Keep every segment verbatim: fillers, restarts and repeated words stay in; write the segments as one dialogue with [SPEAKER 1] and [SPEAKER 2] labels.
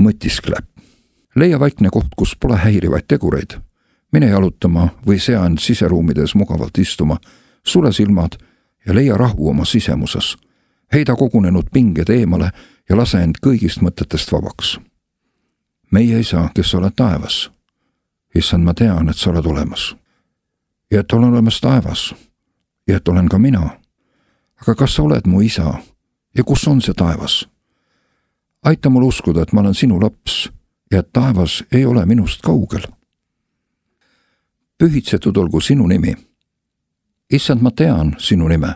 [SPEAKER 1] mõtiskleb. Leia vaikne koht, kus pole häirivaid tegureid. Mine jalutama või sea end siseruumides mugavalt istuma, sule silmad ja leia rahu oma sisemuses. Heida kogunenud pinged eemale ja lase end kõigist mõtetest vabaks. Meie Isa, kes oled taevas. Issand, ma tean, et sa oled olemas. Ja et olen olemas taevas. Ja et olen ka mina. Aga kas sa oled mu Isa? Ja kus on see taevas? Aita mul uskuda, et ma olen sinu laps ja et taevas ei ole minust kaugel. Pühitsetud olgu sinu nimi. Issand, ma tean sinu nime,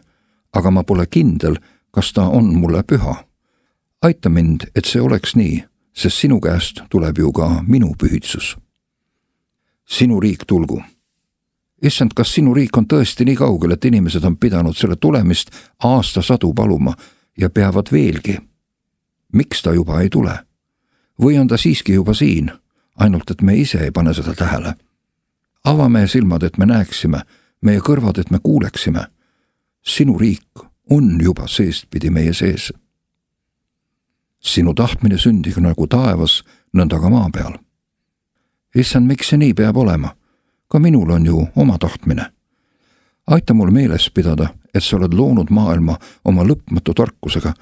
[SPEAKER 1] aga ma pole kindel, kas ta on mulle püha. Aita mind, et see oleks nii, sest sinu käest tuleb ju ka minu pühitsus. Sinu riik tulgu. Issand, kas sinu riik on tõesti nii kaugel, et inimesed on pidanud selle tulemist aastasadu paluma ja peavad veelgi? Miks ta juba ei tule? Või on ta siiski juba siin, ainult et me ise ei pane seda tähele? Ava meie silmad, et me näeksime, meie kõrvad, et me kuuleksime. Sinu riik on juba seestpidi meie sees. Sinu tahtmine sündigu nagu taevas, nõnda ka maa peal. Issand, miks see nii peab olema? Ka minul on ju oma tahtmine. Aita mul meeles pidada, et sa oled loonud maailma oma lõpmatu tarkusega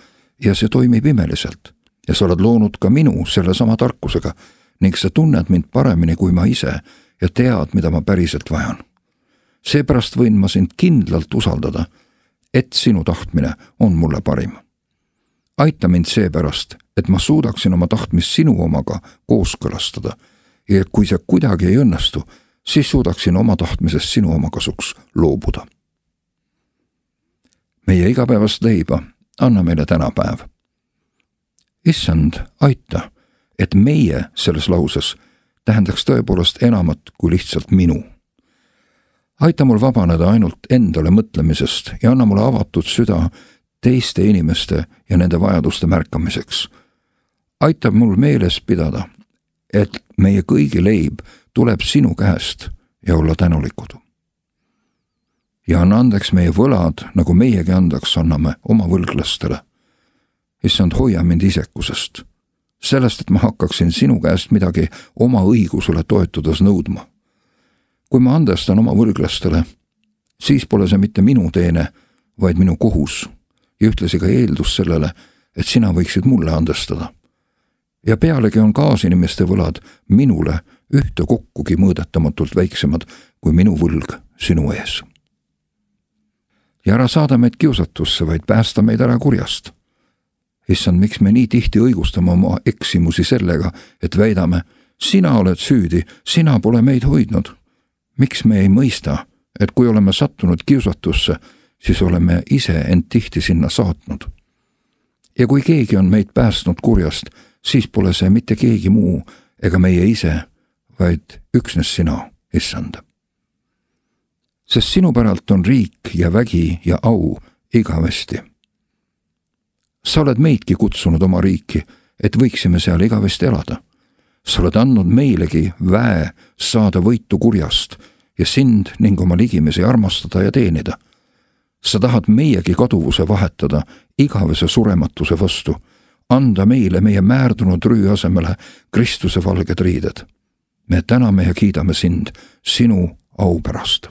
[SPEAKER 1] ja see toimib imeliselt. Ja sa oled loonud ka minu selle sama tarkusega ning sa tunned mind paremini kui ma ise ja tead, mida ma päriselt vajan. Seepärast võin ma sind kindlalt usaldada, et sinu tahtmine on mulle parim. Aita mind seepärast, et ma suudaksin oma tahtmist sinu omaga kooskõlastada ja et kui see kuidagi ei õnnestu, siis suudaksin oma tahtmisest sinu oma kasuks loobuda. Meie igapäevast leiba anna meile täna päev. Issand, aita, et meie selles lauses tähendaks tõepoolest enamat kui lihtsalt minu. Aita mul vabaneda ainult endale mõtlemisest ja anna mulle avatud süda teiste inimeste ja nende vajaduste märkamiseks. Aitab mul meeles pidada, et meie kõigi leib tuleb sinu käest ja olla tänulikud. Ja anna andeks meie võlad, nagu meiegi andeks anname oma võlglastele. Issand, hoia mind isekusest, sellest, et ma hakkaksin sinu käest midagi oma õigusele toetudes nõudma. Kui ma andestan oma võlglastele, siis pole see mitte minu teene, vaid minu kohus ja ühtlasi ka eeldus sellele, et sina võiksid mulle andestada. Ja pealegi on kaasinimeste võlad minule ühte kokkugi mõõdetamatult väiksemad kui minu võlg sinu ees. Ja ära saada meid kiusatusse, vaid päästa meid ära kurjast. Issand, miks me nii tihti õigustame oma eksimusi sellega, et väidame, sina oled süüdi, sina pole meid hoidnud. Miks me ei mõista, et kui oleme sattunud kiusatusse, siis oleme ise end tihti sinna saatnud. Ja kui keegi on meid päästnud kurjast, siis pole see mitte keegi muu ega meie ise, vaid üksnes sina, Issand. Sest sinu päralt on riik ja vägi ja au igavesti. Sa oled meidki kutsunud oma riiki, et võiksime seal igavesti elada. Sa oled andnud meilegi väe saada võitu kurjast ja sind ning oma ligimesi armastada ja teenida. Sa tahad meiegi kaduvuse vahetada igavese surematuse vastu, anda meile meie määrdunud rüü asemele Kristuse valged riided. Me täname ja kiidame sind sinu au pärast.